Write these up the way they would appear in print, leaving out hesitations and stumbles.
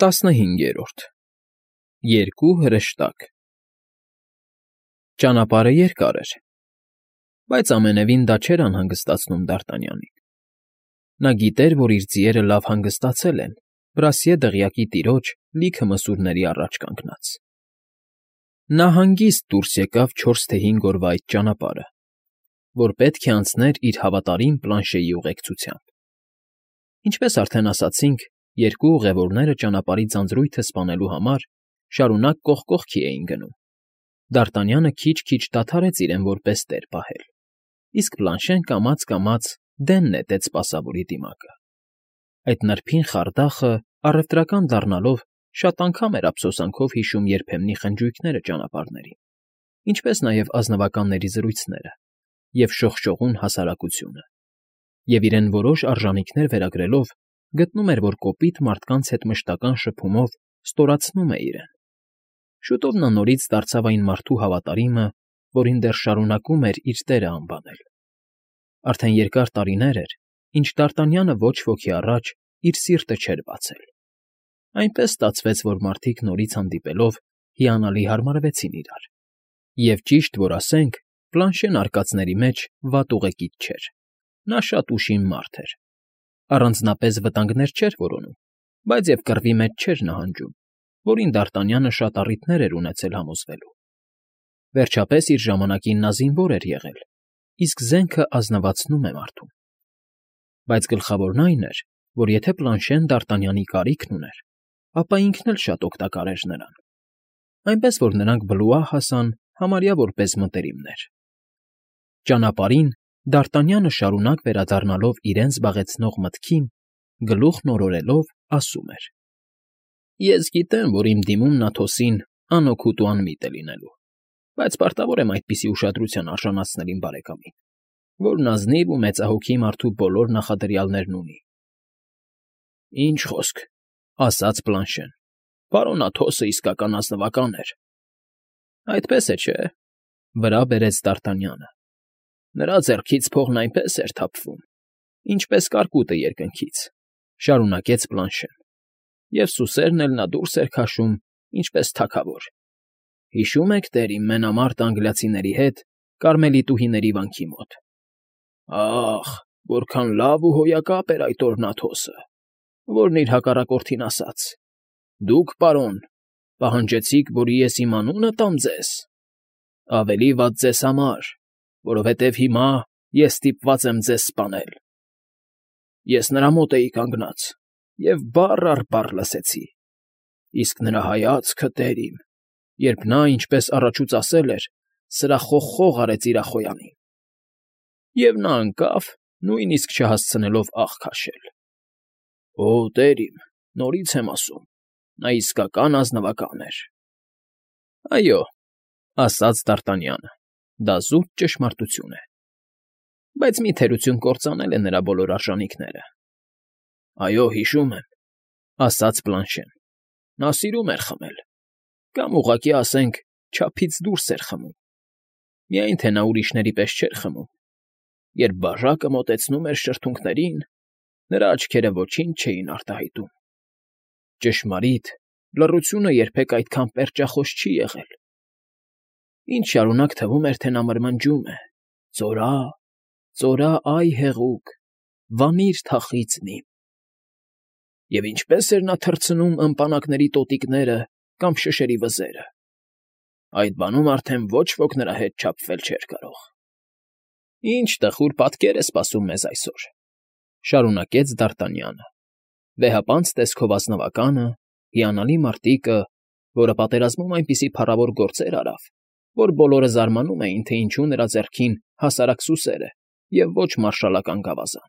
15 Երկու հրեշտակ Ճանապարհը երկար էր, բայց ամենևին դա չէր անհանգստացնում Դարտանյանին. նա գիտեր, որ իր ձիերը լավ հանգստացել են Պրասիե դղյակի տիրոջ լիքը մսուրների առաջ կանգնած։ Նա հանգիստ դուրս եկավ 4 թե 5 օրվա այդ ճանապարհը, որ պետք է անցներ իր հավատարիմ Պլանշեի ուղեկցությամբ։ Ինչպես արդեն ասացինք, երկու ուղևորները ճանապարհի ձանձրույթը սպանելու համար շարունակ կողք կողքի էին գնում։ Դարտանյանը քիչ-քիչ դադարեց իրեն որպես տեր պահել, իսկ Պլանշեն կամաց֊կամաց դեն նետեց սպասավորի դիմակը։ Այդ նրբին խարդախը, առևտրական դառնալով, շատ անգամ էր ափսոսանքով հիշում երբեմնի խնջույքները ճանապարհներին, ինչպես նաև ազնվականների զրույցները և շողշողուն հասարակությունը, և իրեն որոշ արժանինքներ վերագրելով գտնում էր, որ կոպիտ մարդկանց հետ մշտական շփումով ստորացնում է իրեն։ Շուտով նա նորից դարձավ այն մարդու հավատարիմը, որին դեռ շարունակում էր իր տերը անվանել։ Արդեն երկար տարիներ էր, ինչ Դարտանյանը ոչ ոքի առաջ իր սիրտը չէր բացել։ Այնպես ստացվեց, որ մարդիկ նորից հանդիպելով հիանալի հարմարվեցին իրար։ Եվ ճիշտ որ ասենք, Պլանշեն արկածների մեջ վատ ուղեկից չէր։ Նա շատ ուշիմ մարդ էր։ Առանձնապես վտանգներ չէր որոնում, բայց և կռվի մեջ չէր նահանջում, որին Դարտանյանը շատ առիթներ էր ունեցել համոզվելու։ Վերջապես իր ժամանակին նա զինվոր էր եղել, իսկ զենքը ազնվացնում է մարդուն։ Բայց գլխավորն այն էր, որ եթե Պլանշեն Դարտանյանի կարիքն ուներ, ապա ինքն էլ շատ օգտակար էր նրան, այնպես որ նրանք Բլուա հասան համարյա որպես մտերիմներ։ Ճանապարհին Դարտանյանը շարունակ վերադառնալով իրեն զբաղեցնող մտքին, գլուխն օրորելով ասում էր. «Ես գիտեմ, որ իմ դիմումն Աթոսին անօգուտ ու անմիտ է լինելու, բայց պարտավոր եմ այդպիսի ուշադրության արժանացնել իմ բարեկամին, որն ազնիվ ու մեծահոգի մարդու բոլոր նախադրյալներն ունի»։ «Ինչ խոսք,֊ ասաց Պլանշեն,֊ պարոն Աթոսը իսկական ազնվական էր»։ «Այդպես է, չէ՞,֊ վրա բերեց Դարտանյանը։ «Նրա ձեռքից փողն այնպես էր թափվում, ինչպես կարկուտը երկնքից», շարունակեց Պլանշեն, «և սուսերն էլ նա դուրս էր քաշում, ինչպես թագավոր։ Հիշո՞ւմ եք, տեր իմ մենամարտ անգլիացիների հետ Կարմելիտուհիների վանքի մոտ։ Ա՜խ, որքան լավ ու հոյակապ էր այդ օրն Աթոսը, որն իր հակառակորդին ասաց. «Դուք, պարոն, պահանջեցիք, որ ես իմ անունը տամ ձեզ։ Ավելի վատ ձեզ համար, որովհետև հիմա ես ստիպված եմ ձեզ սպանել»։ Ես նրա մոտ էի կանգնած և բառ առ բառ լսեցի, իսկ նրա հայացքը, տեր իմ, երբ նա, ինչպես առաջուց ասել էր, սրախոխող արեց իր ախոյանին։ Եվ նա ընկավ, նույնիսկ չհասցնելով աղ քաշել։ Օ, տեր իմ, նորից եմ ասում, նա իսկական ազնվական էր։ Այո, ասաց Դարտանյանը, դա զուտ ճշմարտություն է։ Բայց մի թերություն կործանել է նրա բոլոր արժանինքները։ Այո, հիշում եմ, ասաց Պլանշեն, նա սիրում էր խմել, կամ ուղղակի ասենք, չափից դուրս էր խմում, միայն թե նա ուրիշների պես չէր խմում։ Երբ բաժակը մոտեցնում էր շրթունքներին, նրա աչքերը ոչինչ չէին արտահայտում։ Ճշմարիտ, լռությունը երբեք այդքան պերճախոս չի եղել։ Ինչ շարունակ թվում էր, թե նա մրմնջում է. «Ծորա, ծորա, այ հեղուկ, վանիր թախիծն իմ»։ Եվ ինչպես էր նա թռցնում ըմպանակների տոտիկները կամ շշերի վզերը։ Այդ բանում արդեն ոչ ոք նրա հետ չափվել չէր կարող։ Ինչ տխուր պատկեր է սպասում մեզ այսօր,֊ շարունակեց Դարտանյանը։ Վեհապանց տեսքով ազնվականը, հիանալի մարտիկը, որը պատերազմում այնպիսի փառավոր գործեր արավ, որ բոլորը զարմանում էին, թե ինչու նրա ձեռքին հասարակ սուսեր է և ոչ մարշալական գավազան։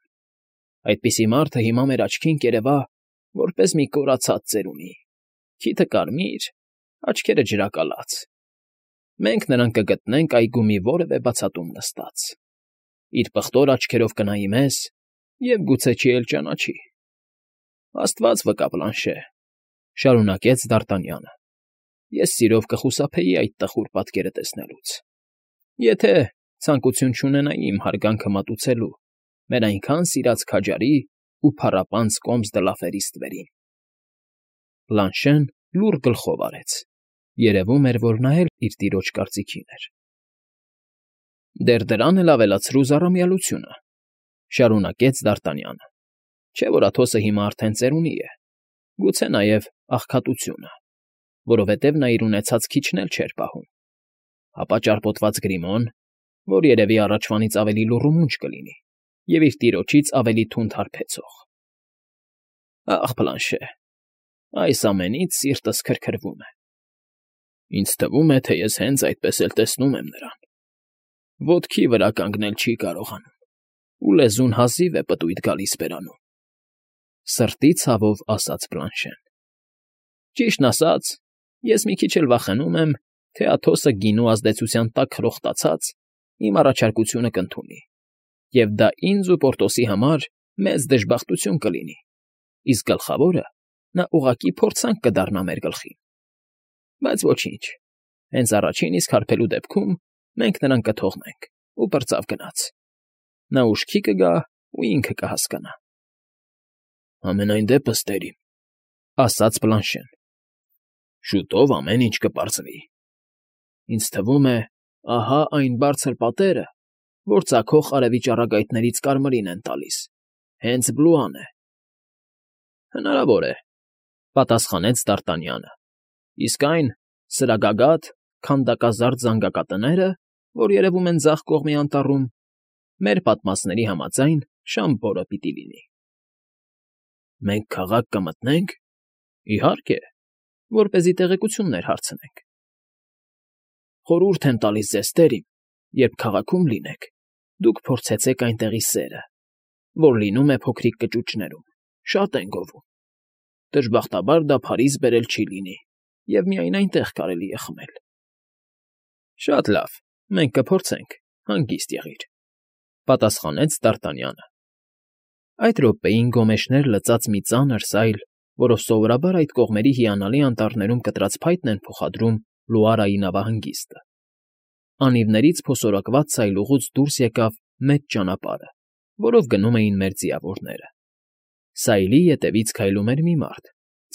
Այդպիսի մարդը հիմա մեր աչքին կերևա, որպես մի կորացած ծերունի, քիթը կարմիր, աչքերը ջրակալած։ Մենք նրան կգտնենք այգու մի որևէ բացատում նստած։ Իր պղտոր աչքերով կնայի մեզ և գուցե չի էլ ճանաչի։ Աստված վկա, Պլանշե,֊ շարունակեց Դարտանյանը, ես սիրով կխուսափեի այդ տխուր պատկերը տեսնելուց, եթե ցանկություն չունենայի իմ հարգանքը մատուցելու մեր այնքան սիրած քաջարի ու փառապանծ կոմս Դլաֆերի ստվերին։ Բլանշեն լուռ գլխով արեց. երևում էր, որ նա էլ իր տիրոջ կարծիքին էր։ Դեռ դրան էլ ավելացրու զառամյալությունը, շարունակեց Դ'Արտանյանը, չէ՞ որ Աթոսը հիմա արդեն ծերունի է, գուցե նաև աղքատությունը, որովհետև նա իր ունեցած քիչն էլ չէր պահում, ապա ճարպոտված Գրիմոն, որ երևի առաջվանից ավելի լուռումունջ կլինի և իր տիրոջից ավելի թունդ հարբեցող։ Ախ, Բլանշե, այս ամենից սիրտս քրքրվում է։ Ինձ թվում է, թե ես հենց այդպես էլ տեսնում եմ նրան։ Ոտքի վրա կանգնել չի կարողանում, ու լեզուն հազիվ է պտույտ գալիս բերանում,֊ սրտի ցավով ասաց Բլանշեն։ Ճիշտն ասած, ես մի քիչ էլ վախենում եմ, թե Աթոսը գինու ազդեցության տակ խրոխտացած իմ առաջարկությունը կընդունի, և դա ինձ ու Պորտոսի համար մեծ դժբախտություն կլինի, իսկ գլխավորը նա ուղղակի փորձանք կդառնա մեր գլխին։ Բայց ոչինչ, հենց առաջին իսկ հարբելու դեպքում մենք նրան կթողնենք ու պրծավ գնաց։ Նա ուշքի կգա ու ինքը կհասկանա։ Համենայն դեպս, տերիմ, ասաց Բլանշեն, շուտով ամեն ինչ կպարզվի։ Ինձ թվում է, ահա այն բարձր պատերը, որ ծագող արևի ճառագայթներից կարմրին են տալիս, հենց Բլուան է։ Հնարավոր է, պատասխանեց Դ'Արտանյանը, իսկ այն սրագագաթ, քանդակազարդ զանգակատները, որ երևում են ձախ կողմի անտառում, մեր պատմածների համաձայն Շամբորը պիտի լինի։ Մենք քաղաք կմտնե՞նք։ Իհարկե, որպեսզի տեղեկություններ հարցնենք։ Խորհուրդ եմ տալիս ձեզ, տերիմ, երբ քաղաքում լինեք, դուք փորձեցեք այնտեղի սերը, որ լինում է փոքրիկ կճուճներում, շատ են գովում։ Դժբախտաբար դա Փարիզ բերել չի լինի, և միայն այնտեղ կարելի է խմել։ Շատ լավ, մենք կփորձենք, հանգիստ եղիր,֊ պատասխանեց Դ'Արտանյանը։ Այդ րոպեին գոմեշներ լծած մի ծանր սայլ, որով սովորաբար այդ կողմերի հիանալի անտառներում կտրած փայտն են փոխադրում Լուարայի նավահանգիստը։ Անիվներից փոսորակված սայլուղուց դուրս եկավ մեծ ճանապարհը, որով գնում էին մեր ձիավորները։ Սայլի ետևից քայլում էր մի մարդ,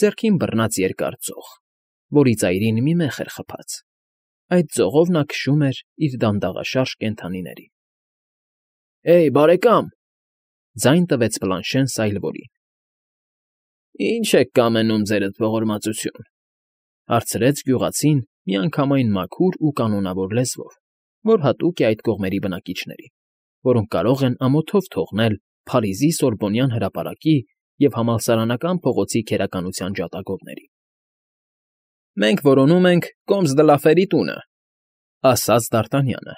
ձեռքին բռնած երկար ձող, որի ծայրին մի մեխ էր խփած։ Այդ ձողով նա քշում էր իր դանդաղաշարժ կենդանիներին։ Էյ, բարեկամ,֊ ձայն տվեց Բլանշեն սայլվորին։ Ի՞նչ եք կամենում, ձերդ ողորմածություն,֊ հարցրեց գյուղացին միանգամայն մաքուր ու կանոնավոր լեզվով, որ հատուկ է այդ կողմերի բնակիչներին, որոնք կարող են ամոթով թողնել Փարիզի Սորբոնյան հրապարակի և համալսարանական փողոցի քերականության ջատագովներին։ Մենք որոնում ենք Կոմս դը Լաֆերի տունը,֊ ասաց Դ'Արտանյանը։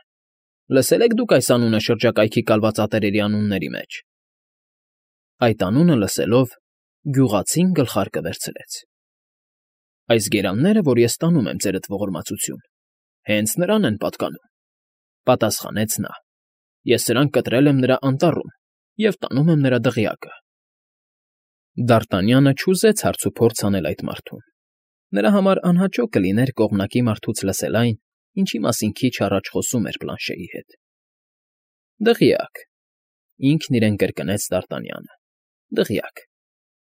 Լսել եք դուք այս անունը շրջակայքի կալվածատերերի անունների մեջ։ Այդ անունը լսելով, գյուղացին գլխարկը վերցրեց։ Այս գերանները, որ ես տանում եմ, ձերդ ողորմածություն, հենց նրան են պատկանում,֊ պատասխանեց նա։ Ես սրանք կտրել եմ նրա անտառում և տանում եմ նրա դղյակը։ Դ'Արտանյանը չուզեց հարցուփորձ անել այդ մարդուն։ Նրա համար անհաճո կլիներ կողմնակի մարդուց լսել այն, ինչի մասին քիչ առաջ խոսում էր Բլանշեի հետ։ Դղյակ,֊ ինքն իրեն կրկնեց Դ'Արտանյանը,֊ դղյակ։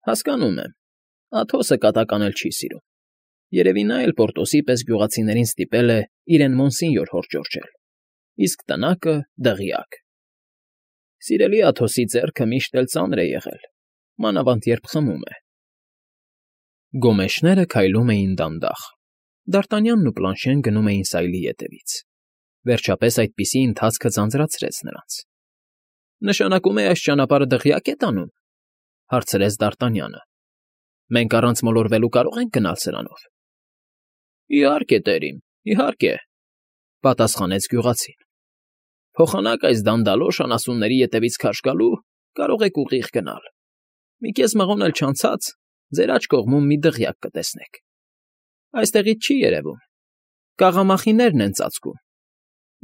Հասկանում եմ, Աթոսը կատականել չի սիրում։ Երևի նա էլ Պորտոսի պես գյուղացիներին ստիպել է իրեն Մոնսինյոր հորդորչել, իսկ տնակը դղյակ։ Սիրելի Աթոսի ձեռքը միշտ էլ ծանր է եղել, մանավանդ երբ խմում է։ Գոմեշները քայլում էին դանդաղ։ Դ'Արտանյանն ու Բլանշեն գնում էին սայլի ետևից։ Վերջապես այդպիսի ընթացքը ձանձրացրեց նրանց։ Նշանակում է այս ճանապարհը դղյակ է տանում,֊ հարցրեց Դ'Արտանյանը։ Մենք առանց մոլորվելու կարող ենք գնալ սրանով։ Իհարկե, տերիմ, իհարկե,֊ պատասխանեց գյուղացին։ Փոխանակ այս դանդալոշ անասունների ետևից քարշ գալու կարող եք ուղիղ գնալ։ Մի կես մղոն էլ չանցած ձեր աջ կողմում մի դղյակ կտեսնեք։ Այստեղից չի երևում, կաղամախիներն են ծածկում,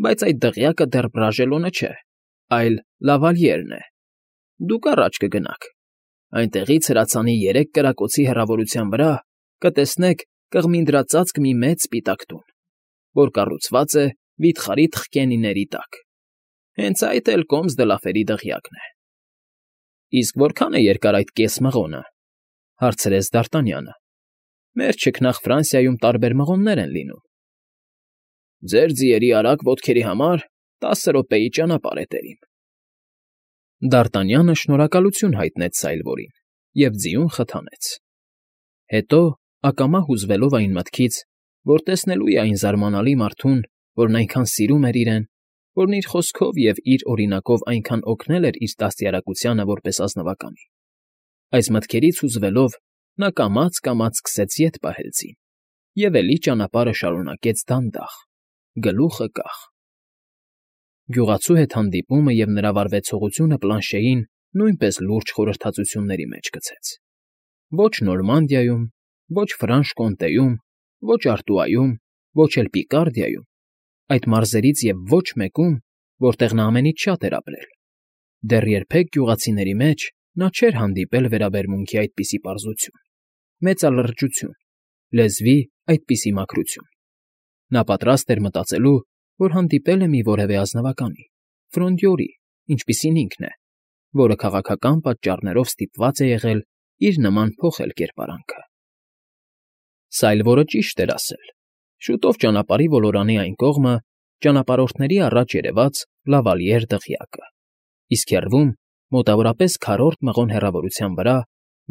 բայց այդ դղյակը դեռ Բրաժելոնը չէ, այլ Լավալյերն է։ Դուք առաջ կգնաք։ Այնտեղից հրացանի 3 կրակոցի հեռավորության վրա կտեսնեք կղմինդրածածկ մի մեծ սպիտակ տուն, որ կառուցված է վիթխարի թխկենիների տակ։ Հենց այդ էլ Կոմս դը Լաֆերի դղյակն է։ Իսկ որքան է երկար այդ կես մղոնը,֊ հարցրեց Դ'Արտանյանը։ Մեր չքնաղ Ֆրանսիայում տարբեր մղոններ են լինում։ Ձեր ձիերի արագ ոտքերի համար 10 րոպեի ճանապարհ է տերիմ։ Դ'Արտանյանը շնորհակալություն հայտնեց Սայլվորին և ձիուն խթանեց։ Հետո, ակամա հուզվելով այն մտքից, որ տեսնելու է այն զարմանալի մարդուն, որն այնքան սիրում էր իրեն, որն իր խոսքով և իր օրինակով այնքան օգնել էր իր դաստիարակությանը որպես ազնվականի, այս մտքերից հուզվելով նա կամաց֊կամաց սկսեց ետ պահել ձին և էլի ճանապարհը շարունակեց դանդաղ, գլուխը կախ։ Գյուղացու հետ հանդիպումը և նրա վարվեցողությունը Պլանշեին նույնպես լուրջ խորհրդածությունների մեջ գցեց։ Ոչ Նորմանդիայում, ոչ Ֆրանշ֊Կոնտեյում, ոչ Արտուայում, ոչ էլ Պիկարդիայում, այդ մարզերից և ոչ մեկում, որտեղ նա ամենից շատ էր ապրել, դեռ երբեք գյուղացիների մեջ նա չէր հանդիպել վերաբերմունքի այդպիսի պարզություն, մեծալրջություն, լեզվի այդպիսի մաքրություն։ Նա պատրաստ էր մտածելու, որ հանդիպել է մի որևէ ազնվականի, ֆրոնդյորի, ինչպիսին ինքն է, որը քաղաքական պատճառներով ստիպված է եղել իր նման փոխել կերպարանքը։ Սայլվորը ճիշտ էր ասել։ Շուտով ճանապարհի ոլորանի այն կողմը ճանապարհորդների առաջ երևաց Լավալիեր դղյակը, իսկ հեռվում, մոտավորապես քառորդ մղոն հեռավորության վրա,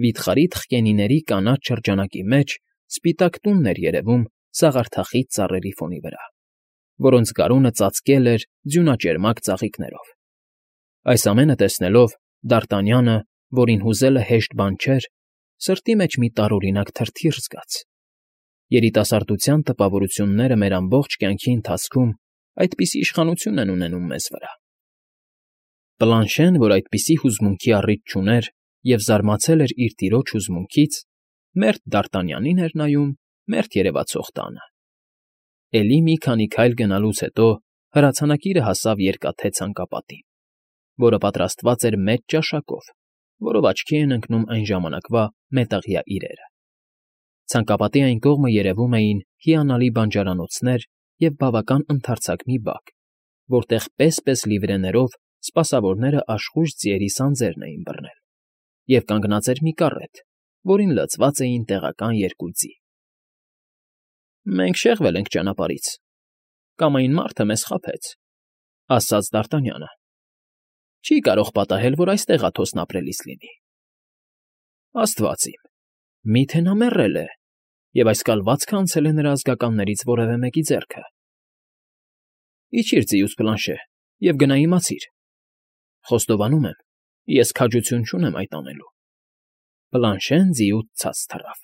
վիթխարի թխկենիների կանաչ շրջանակի մեջ սպիտակ տունն էր երևում սաղարթախիտ ծառերի ֆոնի վրա, որոնց գարունը ծածկել էր ձյունաճերմակ ծաղիկներով։ Այս ամենը տեսնելով, Դ'Արտանյանը, որին հուզելը հեշտ բան չէր, սրտի մեջ մի տարօրինակ թրթիռ զգաց։ Երիտասարդության տպավորությունները մեր ամբողջ կյանքի ընթացքում այդպիսի իշխանություն են ունենում մեզ վրա։ Պլանշեն, որ այդպիսի հուզմունքի առիթ չուներ և զարմացել էր իր տիրոջ հուզմունքից, մերթ Դ'Արտանյանին էր նայում մերթ երևացող տանը։ Էլի մի քանի քայլ գնալուց հետո հրացանակիրը հասավ երկաթե ցանկապատին, որը պատրաստված էր մեծ ճաշակով, որով աչքի էին ընկնում այն ժամանակվա մետաղյա իրերը։ Ցանկապատի այն կողմը երևում էին հիանալի բանջարանոցներ և բավական ընդարձակ մի բակ, որտեղ պես֊պես լիվրեներով սպասավորները աշխույժ ձիերի սանձերն էին բռնել, և կանգնած էր մի կառետ, որին լցված էին տեղական երկու ձի։ «Մենք շեղվել ենք ճանապարհից, կամ այն մարդը մեզ խաբեց», ֊ ասաց Դ'Արտանյանը։ «Չի կարող պատահել, որ այստեղ աթոսն ապրելիս լինի»։ «Աստված իմ, մի՞թե նա մեռել է և այս կալվածքը անցել է նրա ազգականներից որևէ մեկի ձեռքը»։ «Իջիր ձիուց, Պլանշե, և գնա իմացիր։ Խոստովանում եմ, ես քաջություն չունեմ այդ անելու»։ Պլանշեն ձիուց ցած թռավ։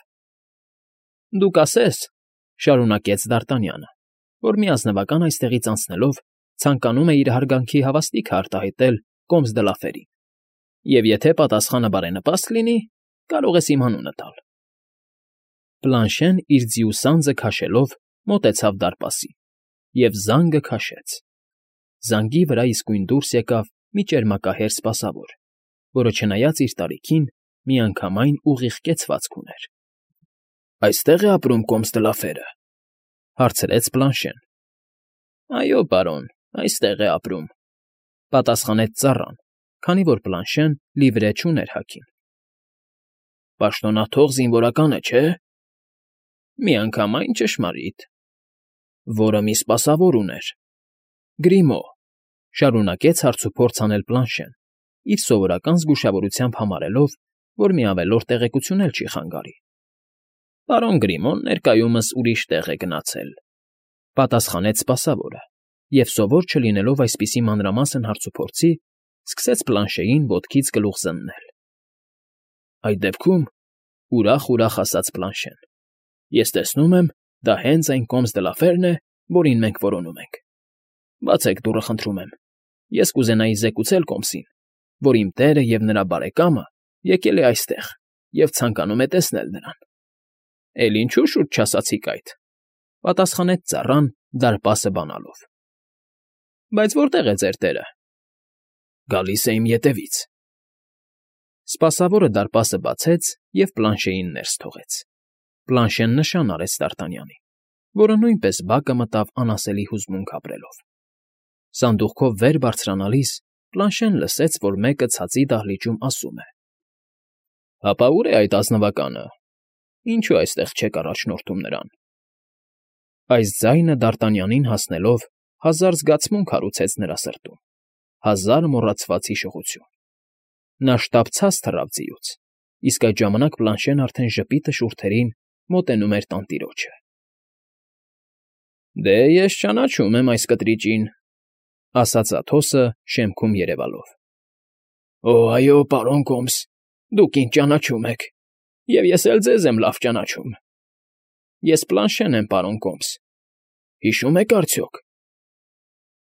«Դուք ասես, ֊ շարունակեց Դ'Արտանյանը, ֊ որ մի ազնվական այստեղից անցնելով ցանկանում է իր հարգանքի հավաստիքը արտահայտել Կոմս դը Լաֆերին, և եթե պատասխանը բարենպաստ լինի, կարող ես իմ անունը տալ»։ Պլանշեն իր ձիու սանձը քաշելով մոտեցավ դարպասին և զանգը քաշեց։ Զանգի վրա իսկույն դուրս եկավ մի ճերմակահեր սպասավոր, որը չնայած իր տարիքին, միանգամայն ուղիղ կեցվածք ուներ։ «Այստե՞ղ է ապրում Կոմս դը Լաֆերը, ֊ հարցրեց Պլանշեն։ «Այո, պարոն, այստեղ է ապրում», ֊ պատասխանեց ծառան, քանի որ Պլանշեն լիվրե չուներ հագին։ «Պաշտոնաթող զինվորական է, չէ՞։ Միանգամայն ճշմարիտ»։ «Որը մի սպասավոր ուներ»։ «Գրիմո», ֊ շարունակեց հարցուփորձ անել Պլանշեն, իր սովորական զգուշավորությամբ համարելով, որ մի ավելորդ տեղեկություն էլ չի խանգարի։ «Պարոն Գրիմոն ներկայումս ուրիշ տեղ է գնացել», ֊ պատասխանեց սպասավորը, և սովոր չլինելով այսպիսի մանրամասն հարցուփորձի, սկսեց Պլանշեին ոտքից գլուխ զննել։ «Այդ դեպքում, ֊ ուրախ ասաց Պլանշեն, ֊ ես տեսնում եմ, դա հենց այն Կոմս դը Լաֆերն է, որին մենք որոնում ենք։ Բացեք դուռը, խնդրում եմ, ես կուզենայի զեկուցել Կոմսին, որ իմ տերը և նրա բարեկամը եկել է այստեղ և ցանկանում է տեսնել նրան»։ «Էլ ինչու շուտ չասացիք այդ», ֊ պատասխանեց ծառան դարպասը բանալով։ «Բայց որտե՞ղ է ձեր տերը»։ «Գալիս է իմ ետևից»։ Սպասավորը դարպասը բացեց և Պլանշեին ներս թողեց։ Պլանշեն նշան արեց Դ'Արտանյանին, որը նույնպես բակը մտավ անասելի հուզմունք ապրելով։ Սանդուղքով վեր բարձրանալիս Պլանշեն լսեց, որ մեկը ցածի դահլիճում ասում է. «Հապա ո՞ւր է այդ ազնվականը։ ինչու այստեղ չեք առաջնորդում նրան։ Այս ձայնը Դարտանյանին հասնելով հազար զգացմունք հարուցեց նրա սրտում, հազար մոռացված հիշողություն։ Նա շտապցած թռավ ձիուց, իսկ այդ ժամանակ Պլանշեն արդեն ժպիտը շուրթերին մոտենում էր տանտիրոջը։ Դե ես ճանաչում եմ այս կտրիճին, ասաց Աթոսը շեմքում երևալով։ Օ, այո, պարոն Կոմս, դուք ինձ ճանաչում եք, և ես էլ ձեզ եմ լավ ճանաչում։ Ես Պլանշեն եմ, պարոն Կոմս, հիշում եք արդյոք։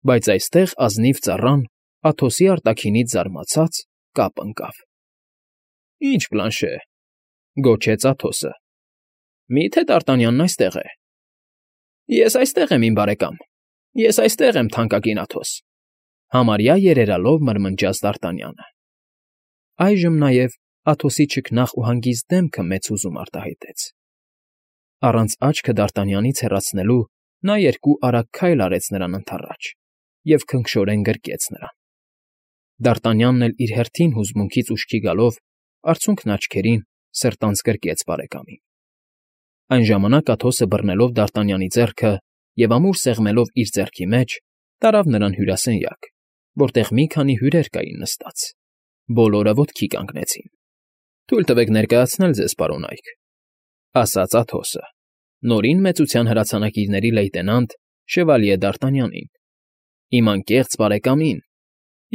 Բայց այստեղ ազնիվ ծառան, Աթոսի արտաքինից զարմացած, կապ ընկավ։ Ինչ Պլանշե, գոչեց Աթոսը։ Մի՞թե Դարտանյանն այստեղ է։ Ես այստեղ եմ, իմ բարեկամ, ես այստեղ եմ, թանկագին Աթոս, համարյա երերալով մրմնջաց Դարտանյանը։ Այժմ նաև Աթոսի չքնաղ ու հանգիստ դեմքը մեծ հուզում արտահայտեց։ Առանց աչքը Դարտանյանից հեռացնելու նա երկու արագ քայլ արեց նրան ընդառաջ և քնքշորեն գրկեց նրան։ Դարտանյանն էլ իր հերթին հուզմունքից ուշքի գալով արցունքն աչքերին սրտանց գրկեց բարեկամին։ Այն ժամանակ Աթոսը բռնելով Դարտանյանի ձեռքը և ամուր սեղմելով իր ձեռքի մեջ, տարավ նրան հյուրասենյակ, որտեղ մի քանի հյուրեր կային նստած։ Բոլորը ոտքի կանգնեցին։ Թույլ տվեք ներկայացնել ձեզ, պարոն Այք, ասաց Աթոսը, նորին մեծության հրացանակիրների լեյտենանտ Շևալիե Դարտանյանին, իմ անկեղծ բարեկամին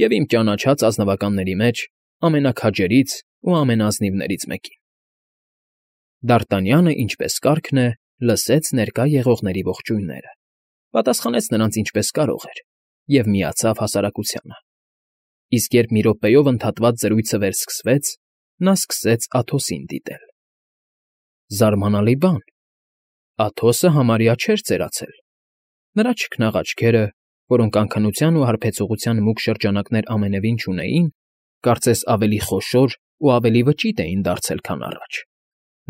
և իմ ճանաչած ազնվականների մեջ ամենաքաջերից ու ամենաազնիվներից մեկին։ Դարտանյանը, ինչպես կարգն է, լսեց ներկա եղողների ողջույնները, պատասխանեց նրանց ինչպես կարող էր և միացավ հասարակությանը։ Իսկ երբ մի րոպեով ընդհատված զրույցը վերսկսվեց, նա սկսեց Աթոսին դիտել։ Զարմանալի բան, Աթոսը համարյա չէր ծերացել։ Նրա չքնաղ աչքերը, որոնք անքնության ու հարբեցողության մուգ շրջանակներ ամենևին չունեին, կարծես ավելի խոշոր ու ավելի վճիտ էին դարձել, քան առաջ։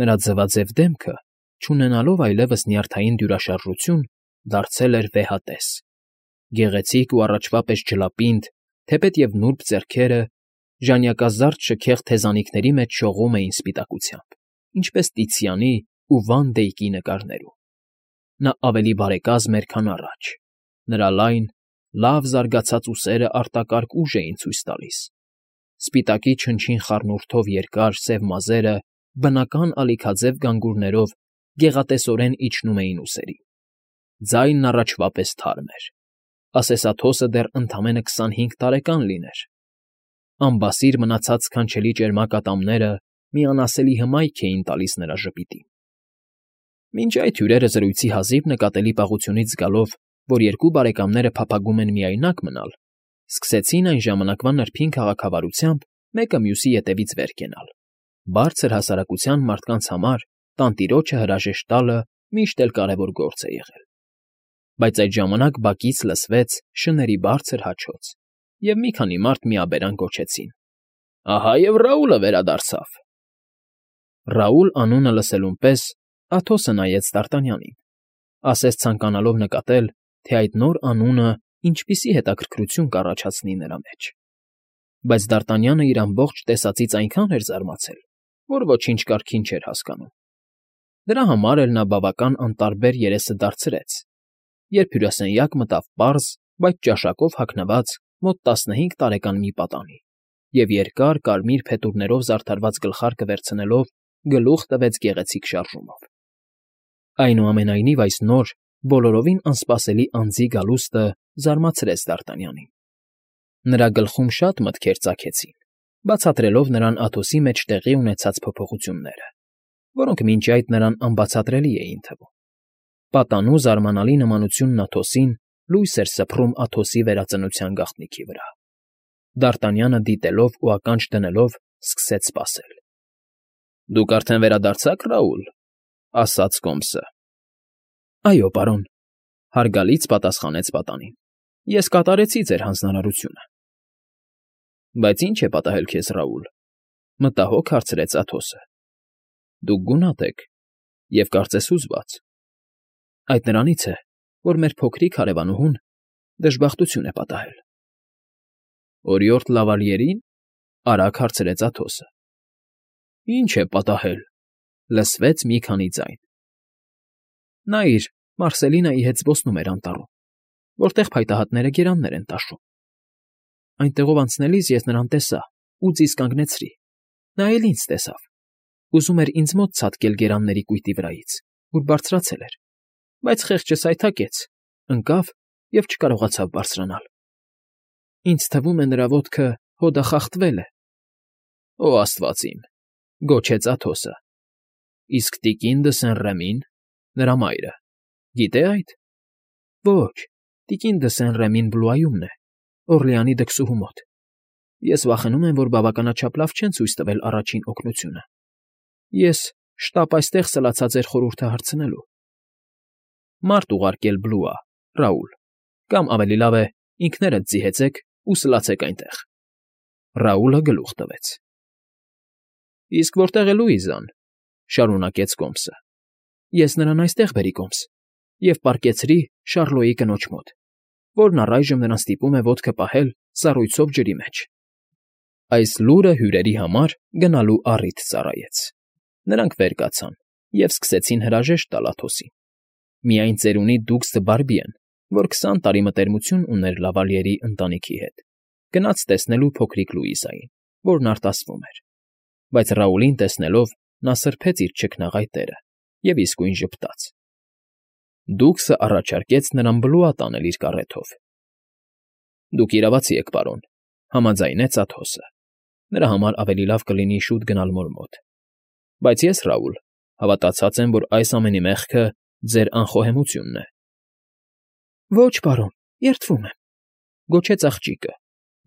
Նրա ձվաձև դեմքը, չունենալով այլևս նյարդային դյուրաշարժություն, դարձել էր վեհատես։ Գեղեցիկ ու առաջվա պես ջլապինդ, թեպետև նուրբ ձեռքերը ժանյակազարդ շքեղ թեզանիքների մեջ շողում էին սպիտակությամբ, ինչպես Տիցիանի ու Վան Դեյկի նկարներում։ Նա ավելի բարեկազմ էր, քան առաջ։ Նրա լայն, լավ զարգացած ուսերը արտակարգ ուժ էին ցույց տալիս։ Սպիտակի չնչին խառնուրդով երկար, սև մազերը բնական ալիքաձև գանգուրներով գեղատեսորեն իջնում էին ուսերին։ Ձայնն առաջվա պես թարմ էր, ասես Աթոսը դեռ ընդամենը 25 տարեկան լիներ։ Անբասիր մնացած սքանչելի ճերմակ ատամները մի անասելի հմայք էին տալիս նրա ժպիտին։ Մինչ այդ հյուրերը զրույցի հազիվ նկատելի պաղությունից զգալով, որ երկու բարեկամները փափագում են միայնակ մնալ, սկսեցին այն ժամանակվա նրբին քաղաքավարությամբ մեկը մյուսի ետևից վեր կենալ։ Բարձր հասարակության մարդկանց համար տանտիրոջը հրաժեշտ տալը միշտ էլ կարևոր գործ է եղել։ Բայց այդ ժամանակ բակից լսվեց շների բարձր հաչոց, և մի քանի մարդ միաբերան գոչեցին. Ահա և Ռաուլը վերադարձավ։ Ռաուլ անունը լսելուն պես Աթոսը նայեց Դարտանյանին, ասես ցանկանալով նկատել, թե այդ նոր անունը ինչպիսի հետաքրքրություն կառաջացնի նրա մեջ։ Բայց Դարտանյանը իր ամբողջ տեսածից այնքան էր զարմացել, որ ոչինչ կարգին չէր հասկանում։ Դրա համար էլ նա բավական անտարբեր երեսը դարձրեց, երբ հյուրասենյակ մտավ պարզ, բայց ճաշակով հագնված մոտ 15 տարեկան մի պատանի և երկար կարմիր փետուրներով զարդարված գլխարկը վերցնելով գլուխ տվեց գեղեցիկ շարժումով։ Այնուամենայնիվ այս նոր, բոլորովին անսպասելի անձի գալուստը զարմացրեց Դարտանյանին։ Նրա գլխում շատ մտքեր ծագեցին, բացատրելով նրան Աթոսի մեջ տեղի ունեցած փոփոխությունները, որոնք մինչ այդ նրան անբացատրելի էին թվում։ Պատանու զարմանալի նմանությունն Աթոսին լույս էր սփռում Աթոսի վերածնության գաղտնիքի վրա։ Դարտանյանը դիտելով ու ականջ դնելով սկսեց սպասել։ Դուք արդեն վերադարձաք, Ռաուլ, ասաց Կոմսը։ Այո, պարոն, հարգալից պատասխանեց պատանին։ Ես կատարեցի ձեր հանձնարարությունը։ Բայց ինչ է պատահել քեզ, Ռաուլ, մտահոգ հարցրեց Աթոսը։ Դուք գունատ եք և կարծես հուզված։ Այդ նրանից է, որ մեր փոքրիկ հարևանուհուն դժբախտություն է պատահել։ Օրիորդ Լավալիերին, արագ հարցրեց Աթոսը։ Ինչ է պատահել, Լսվեց մի քանի ձայն։ Նայիր, Մարսելինայի հետ զբոսնում էր անտառում, որտեղ փայտահատները գերաններ են տաշում։ Այնտեղով անցնելիս ես նրան տեսա ու ձիզ կանգնեցրի։ Նա էլ ինձ տեսավ։ Ուզում էր ինձ մոտ ցատկել գերանների կույտի վրայից, ուր բարձրացել էր, բայց խեղճս այթակեց, ընկավ և չկարողացավ բարձրանալ։ Ինձ թվում է նրա ոտքը հոդախախտվել է։ Օ, աստված իմ, գոչեց Աթոսը։ Իսկ տիկին Դսեն֊Ռեմին, նրա մայրը, գիտե՞ այդ։ Ոչ, տիկին Դսեն֊Ռեմին Բլուայումն է, Օրլեանի դքսուհու մոտ։ Ես վախենում եմ, որ բավականաչափ լավ չեն ցույց տվել առաջին օգնությունը։ Ես շտապ այստեղ սլացա ձեր խորհուրդը հարցնելու։ Մարդ ուղարկել Բլուա, Ռաուլ, կամ ավելի լավ է, ինքներդ ձիհեցեք ու սլացեք այնտեղ։ Ռաուլը գլուխ տվեց։ Իսկ որտեղ է Լուիզան, շարունակեց Կոմսը։ Ես նրան այստեղ բերի Կոմս և պառկեցրի Շառլոյի կնոջ մոտ, որն առայժմ նրան ստիպում է ոտքը պահել սառույցով ջրի մեջ։ Այս լուրը հյուրերի համար գնալու առիթ ծառայեց։ Նրանք վեր կացան և սկսեցին հրաժեշտ տալ Աթոսին։ Միայն ծերունի Դուգս Դ'Բարբիեն, որ 20 տարի մտերմություն ուներ Լավալիերի ընտանիքի հետ, գնաց տեսնելու փոքրիկ Լուիզային, որն արտասվում էր։ Բայց Ռաուլին տեսնելով նա սրբեց իր չքնաղայ տերը և իսկույն ժպտաց։ Դուգսը առաջարկեց նրան Բլուա տանել իր կառեթով։ Դուք իրավացի եք, պարոն, համաձայնեց Աթոսը։ Նրա համար ավելի լավ կլինի շուտ գնալ մոր մոտ։ Բայց ես, Ռաուլ, հավատացած եմ, որ այս ամենի մեղքը ձեր անխոհեմությունն է։ Ոչ, պարոն, երդվում եմ, գոչեց աղջիկը,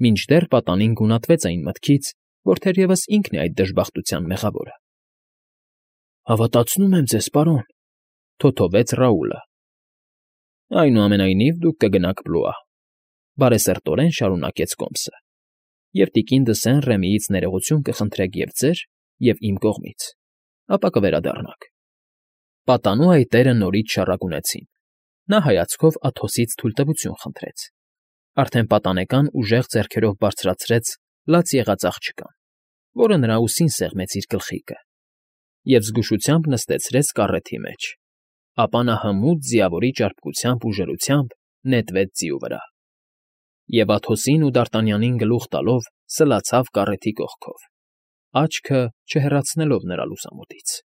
մինչդեռ պատանին գունատվեց այն մտքից, որ թերևս ինքն է այդ դժբախտության մեղավորը։ Հավատացնում եմ ձեզ, պարոն, թոթովեց Ռաուլը։ Այնուամենայնիվ դուք կգնաք Բլուա, բարեսրտորեն շարունակեց Կոմսը, և տիկին Դսեն֊Ռեմիից ներողություն կխնդրեք և ձեր, և իմ կողմից, ապա կվերադառնաք։ Պատանու այտերը նորից շառագունեցին։ Նա հայացքով Աթոսից թույլտվություն խնդրեց։ Արդեն պատանեկան ուժեղ ձեռքերով բարձրացրեց լաց եղած աղջկան, որը նրա ուսին սեղմեց իր գլխիկը, և զգուշությամբ նստեցրեց կառեթի մեջ։ Ապա նա հմուտ ձիավորի ճարպկությամբ ու ժորությամբ նետվեց ձիու վրա։ Եվ Աթոսին ու Դարտանյանին գլուխ տալով սլացավ կառեթի կողքով, աչքը չհեռացնելով նրա լուսամուտից։